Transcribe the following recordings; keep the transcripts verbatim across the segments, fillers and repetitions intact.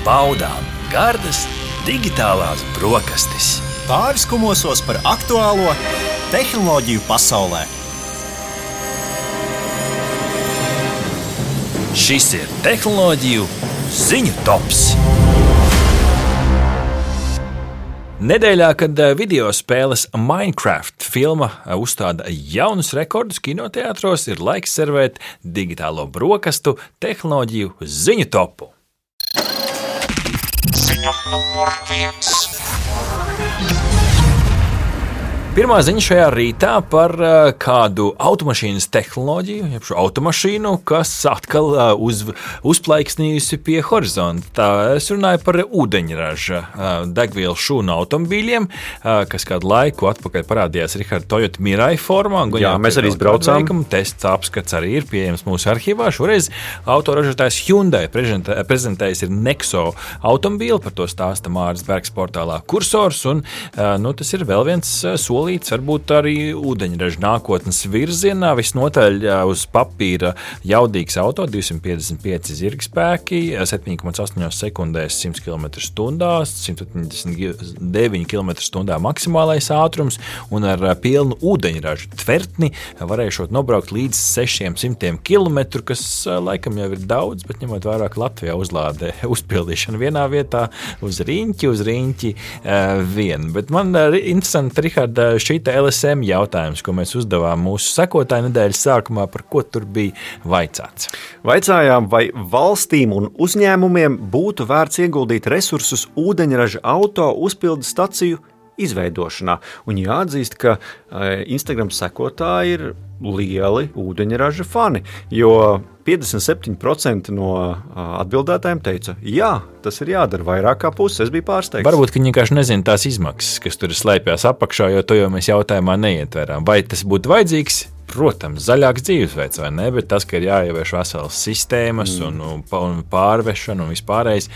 baudām gardas digitālās brokastis. Pāris kumosos par aktuālo tehnoloģiju pasaulē. Šis ir tehnoloģiju ziņu tops. Nedēļā, kad video spēles Minecraft filma uzstāda jaunus rekordus kinoteātros, ir laiks servēt digitālo brokastu tehnoloģiju ziņu topu. Ziņa numur viens. Pirmā ziņa šajā rītā par kādu automašīnas tehnoloģiju, jeb šo automašīnu, kas atkal uz, uzplaiksnījusi pie horizonta. Tā es runāju par ūdeņraža degvielu šūnu automobīļiem, kas kādu laiku atpakaļ parādījās Richard Toyota Mirai formā. Jā, mēs arī izbraucām. Tests apskats arī ir pieejams mūsu arhīvā. Šoreiz autoražotājs Hyundai prezentējis ir Nexo automobīli, par to stāsta Māris Bergs portālā Kursors, un nu, tas ir vēl viens solis. Varbūt arī ūdeņraža nākotnes virzienā, visnotaļ uz papīra jaudīgs auto, divsimt piecdesmit pieci zirgspēki, septiņi komats astoņi sekundēs, simt kilometru stundā, simt septiņdesmit deviņi kilometri stundā maksimālais ātrums, un ar pilnu ūdeņraža tvertni varēšot nobraukt līdz sešiem simtiem kilometru, kas laikam jau ir daudz, bet ņemot vairāk Latvijā uzlādē uzpildīšanu vienā vietā, uz riņķi, uz riņķi vien. Bet man interesanti, Richard, šī L S M jautājums, ko mēs uzdevām mūsu sekotāju nedēļas sākumā, par ko tur bija vaicāts. Vaicājām, vai valstīm un uzņēmumiem būtu vērts ieguldīt resursus ūdeņraža auto uzpildes staciju izveidošanā. Un jāatzīst, ka Instagram sekotāji ir lieli ūdeņraža fani, jo piecdesmit septiņi procenti no atbildētājiem teica, jā, tas ir jādara vairāk kā puses, es biju pārsteigts. Varbūt, ka viņi vienkārši nezina tās izmaksas, kas tur slēpjas apakšā, jo to jau mēs jautājumā neietverām. Vai tas būtu vajadzīgs? Protams, zaļāks dzīvesveids, vai ne, bet tas, ka ir jāievieš veselas sistēmas mm. un, un pārvešana un vispārējais,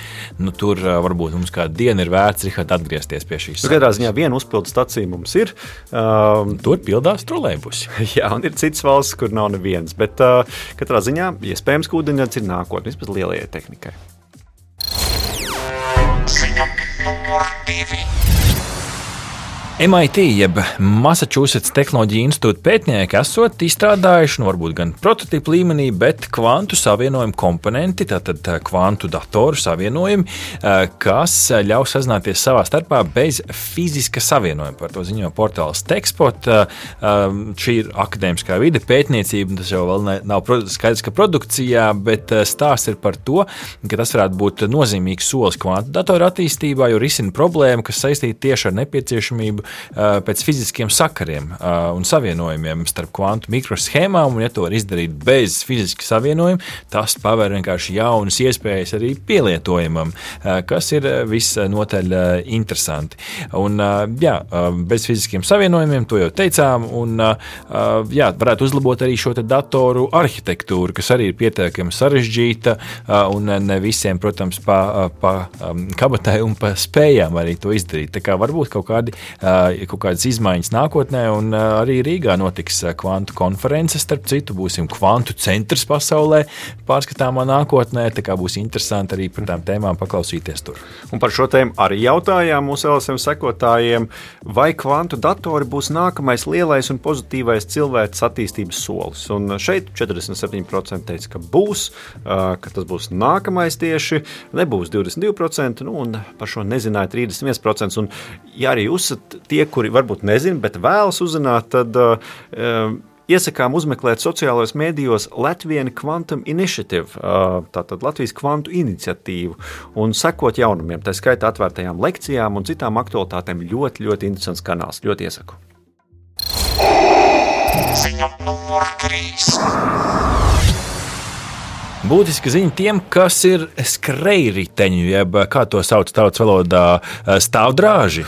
nu tur varbūt mums kādu dienu ir vērts, Richard, atgriezties pie šīs. Katrā ziņā viena uzpildu stacija mums ir. Um, tur pildās trolejbusi. Jā, un ir citas valsts, kur nav nevienas, bet uh, katrā ziņā iespējams, ka ūdeņrads ir nākotne, vismaz lielajai tehnikai. Ziņa numur divi. M I T, jeb Massachusetts Tehnoloģiju institūta pētnieki esot izstrādājuši, nu varbūt gan prototipu līmenī, bet kvantu savienojumu komponenti, tātad kvantu datoru savienojumi, kas ļaus sazināties savā starpā bez fiziska savienojuma. Par to ziņo portāls Techspot. Šī ir akadēmiskā vide, pētniecība, tas jau vēl nav skaidrs, ka produkcijā, bet stāsts ir par to, ka tas varētu būt nozīmīgs solis kvantu datoru attīstībā, jo risina problēmu, kas saistīta tieši ar nepieciešamību pēc fiziskiem sakariem un savienojumiem starp kvantu mikroshēmām, un ja to var izdarīt bez fiziska savienojuma, tas paver vienkārši jaunas iespējas arī pielietojumam, kas ir visnotaļ interesanti. Un jā, bez fiziskiem savienojumiem, to jau teicām, un jā, varētu uzlabot arī šo te datoru arhitektūru, kas arī ir pietiekami sarežģīta, un ne visiem, protams, pa, pa kabatai un pa spējām arī to izdarīt. Tā kā varbūt kaut kādi kaut kādas izmaiņas nākotnē, un arī Rīgā notiks kvantu konferences, starp citu būsim kvantu centrs pasaulē pārskatāmā nākotnē, tā kā būs interesanti arī par tām tēmām paklausīties tur. Un par šo tēmu arī jautājām mūsu L S M sekotājiem, vai kvantu datori būs nākamais lielais un pozitīvais cilvēks attīstības solis. Un šeit četrdesmit septiņi procenti teica, ka būs, ka tas būs nākamais tieši, nebūs divdesmit divi procenti, nu, un par šo nezināja trīsdesmit viens procents. Un ja arī jūs tie, kuri varbūt nezina, bet vēlas uzzināt, tad uh, iesakām uzmeklēt sociālajos mēdījos Latvian Quantum Initiative, uh, tātad Latvijas kvantu iniciatīvu, un sekot jaunumiem, tā skaitā atvērtajām lekcijām un citām aktualitātēm. Ļoti, ļoti interesants kanāls, ļoti iesaku. Ziņa numur trīs. Būtiska ziņa tiem, kas ir skrejriteņi, jeb kā to sauc tautas valodā stāvdrāži.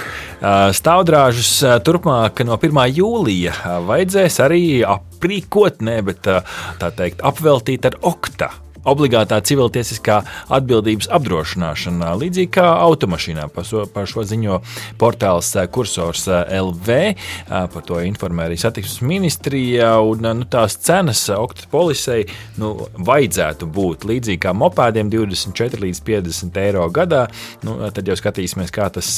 Stāvdrāžus turpmāk no pirmā jūlija vajadzēs arī aprīkot, ne, bet tā teikt apveltīt ar okta obligātā civiltiesiskā atbildības apdrošināšana, līdzīgi kā automašīnā. Par šo, par šo ziņo portāls Kursors L V, par to informē arī satiksmes ministrija, un nu, tās cenas oktopolisei nu, vajadzētu būt līdzīgi kā mopēdiem divdesmit četri līdz piecdesmit eiro gadā. Nu, tad jau skatīsimies, kā tas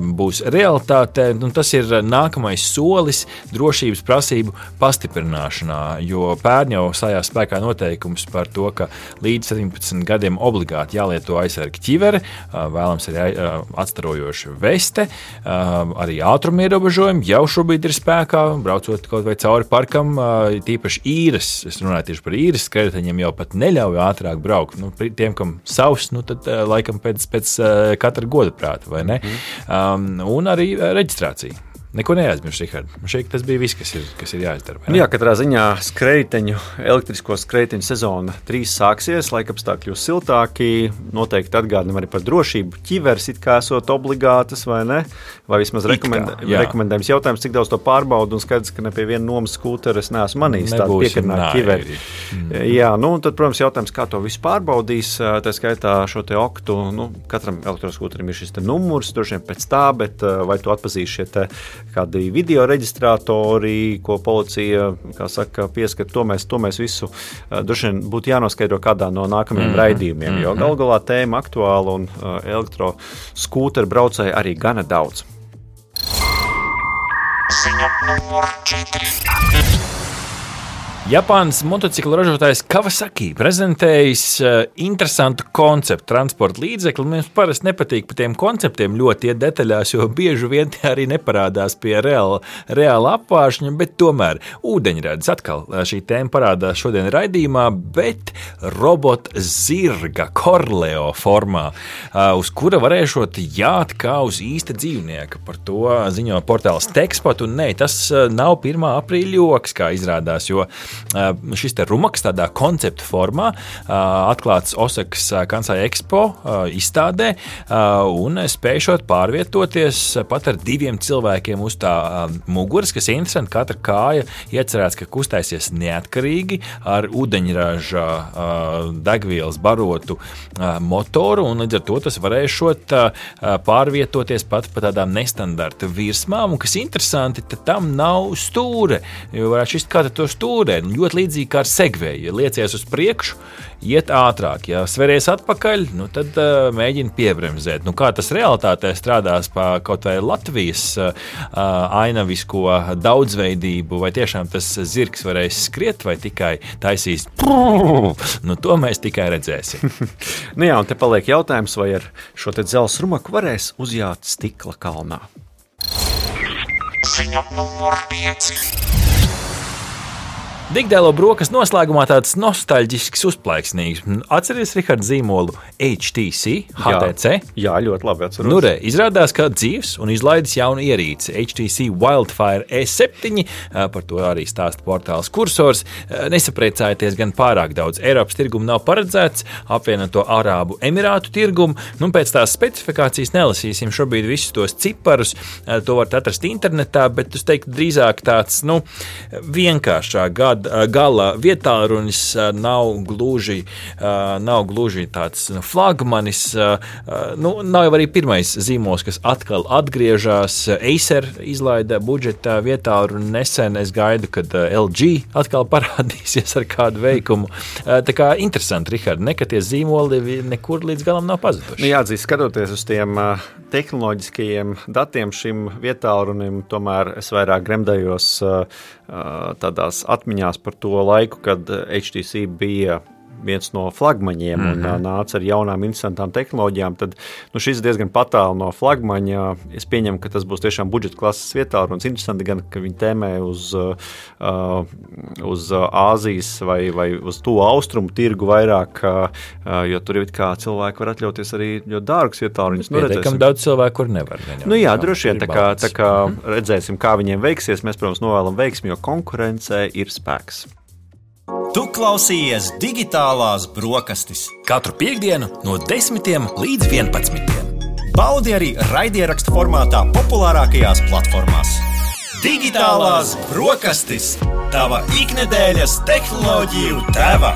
būs realitāte. Nu, tas ir nākamais solis drošības prasību pastiprināšanā, jo pērn jau stājās spēkā noteikums par to, ka līdz septiņpadsmit gadiem obligāti jālieto aizsarga ķivere, vēlams arī atstarojoša veste, arī ātruma ierobežojumi jau šobrīd ir spēkā, braucot kaut vai cauri parkam, tīpaši īres, es runāju tieši par īres skrējējiņiem, jau pat neļauj ātrāk braukt. Nu, tiem, kam savs, nu tad laikam pēc, pēc katra goda prāta, vai ne? Um, un arī reģistrācija. Neko neaizmirst, Rihard. Šeit tas bija viss, kas ir, kas ir jāizdara. Jā, katrā ziņā skrejteņu, elektrisko skrejteņu sezona trīs sāksies, laikapstākļi kļūs siltāki, noteikti atgādinam arī par drošību. Ķiveres it kā esot obligātas, vai ne? Vai vismaz rekomend, rekomendējums jautājums, cik daudz to pārbaudu, un skaidrs, ka ne pie viena nomas skūtera es neesmu manījis tādu piekarināt ķiveri. Mm. Jā, nu, tad, protams, jautājums, kā to visu pārbaudīs, tā skaitā šo te oktu, nu, katram elektroskūterim ir šis te numurs, droši vien pēc tā, bet vai tu atpazīs šie te kādi video reģistrātori, ko policija, kā saka, pieskat, to mēs, to mēs visu droši vien būtu jānoskaidro kādā no nākamajiem mm-hmm. raidījumiem, jo gal galā tēma aktuāla un uh, elektroskūteru braucēji arī gana daudz. Japānas motociklu ražotājs Kawasaki prezentējis uh, interesantu konceptu transporta līdzekli. Mums parasti nepatīk par tiem konceptiem ļoti iet detaļās, jo bieži vien tie arī neparādās pie reāla, reāla apvāršņa, bet tomēr ūdeņradis atkal šī tēma parādās šodien raidījumā, bet robota zirga Korleo formā, uh, uz kura varēšot jāt kā uz īsta dzīvnieka. Par to ziņo portāls Tekspot, un ne, tas nav pirmā aprīļa joks, kā izrādās, jo šis te rumaks tādā konceptu formā atklāts Osakas Kansai Expo izstādē un spējušot pārvietoties pat ar diviem cilvēkiem uz tā muguras, kas ir interesanti. Katra kāja iecerēts, ka kustēsies neatkarīgi ar ūdeņraža degvielas barotu motoru, un līdz ar to tas varēšot pārvietoties pat pa tādām nestandarta virsmām, un kas interesanti, tad tam nav stūre, jo varētu šist kā to stūrē. Ļoti līdzīgi kā ar segveju. Ja liecies uz priekšu, iet ātrāk. Ja sveries atpakaļ, nu tad uh, mēģina piebremzēt. Nu, kā tas realitātē strādās pa kaut vai Latvijas uh, ainavisko daudzveidību, vai tiešām tas zirgs varēs skriet, vai tikai taisīs nu, to mēs tikai redzēsim. Nu jā, un te paliek jautājums, vai ar šo te dzelzs rumaku varēs uzjāt stikla kalnā. Ziņa numur pieci. Digdēlo brokastu noslēgumā tāds nostalģisks uzplaiksnīgs. Atceries, Rihard, zīmolu H T C, H T C? Jā, jā, ļoti labi atceros. Nu re, izrādās, ka dzīves un izlaidis jaunu ierīci H T C Wildfire E septiņi, par to arī stāsta portāls Kursors. Nesapriecājieties gan pārāk daudz. Eiropas tirgumu nav paredzēts, apvienoto Arābu Emirātu tirgumu. Nu, pēc tās specifikācijas nelasīsim šobrīd visus tos ciparus, to varat atrast internetā, bet es teiktu drīzāk tāds, nu, vienkāršāk gada gala vietārunis nav gluži, nav gluži tāds flagmanis. Nu, nav jau arī pirmais zīmols, kas atkal atgriežas. Acer izlaida budžeta vietāruni nesen. Es gaidu, kad L G atkal parādīsies ar kādu veikumu. Tā kā interesanti, Rihard, ne, ka tie zīmoli nekur līdz galam nav pazuduši. Nu, jāatzīst, skatoties uz tiem tehnoloģiskajiem datiem šim vietārunim, tomēr es vairāk gremdējos tādās atmiņās par to laiku, kad H T C bija viens no flagmaņiem un mm-hmm. nāca ar jaunām interesantām tehnoloģijām, tad nu, šis diezgan patālu no flagmaņa. Es pieņemu, ka tas būs tiešām budžeta klases vietārunis. Interesanti gan, ka viņi tēmē uz, uh, uz Āzijas vai, vai uz to austrumu tirgu vairāk, uh, jo tur ir kā cilvēki var atļauties arī ļoti dārgus vietāruņus. Nu, Pietiekam daudz cilvēku, kur nevar. Viņam, nu jā, droši vien, tā kā, tā kā mm-hmm. redzēsim, kā viņiem veiksies. Mēs, protams, novēlam veiksmi, jo konkurencē ir spēks. Tu klausījies digitālās brokastis. Katru piektdienu no desmitiem līdz vienpadsmitiem. Baudi arī raidierakstu formātā populārākajās platformās. Digitālās brokastis. Tava iknedēļas tehnoloģiju tēva.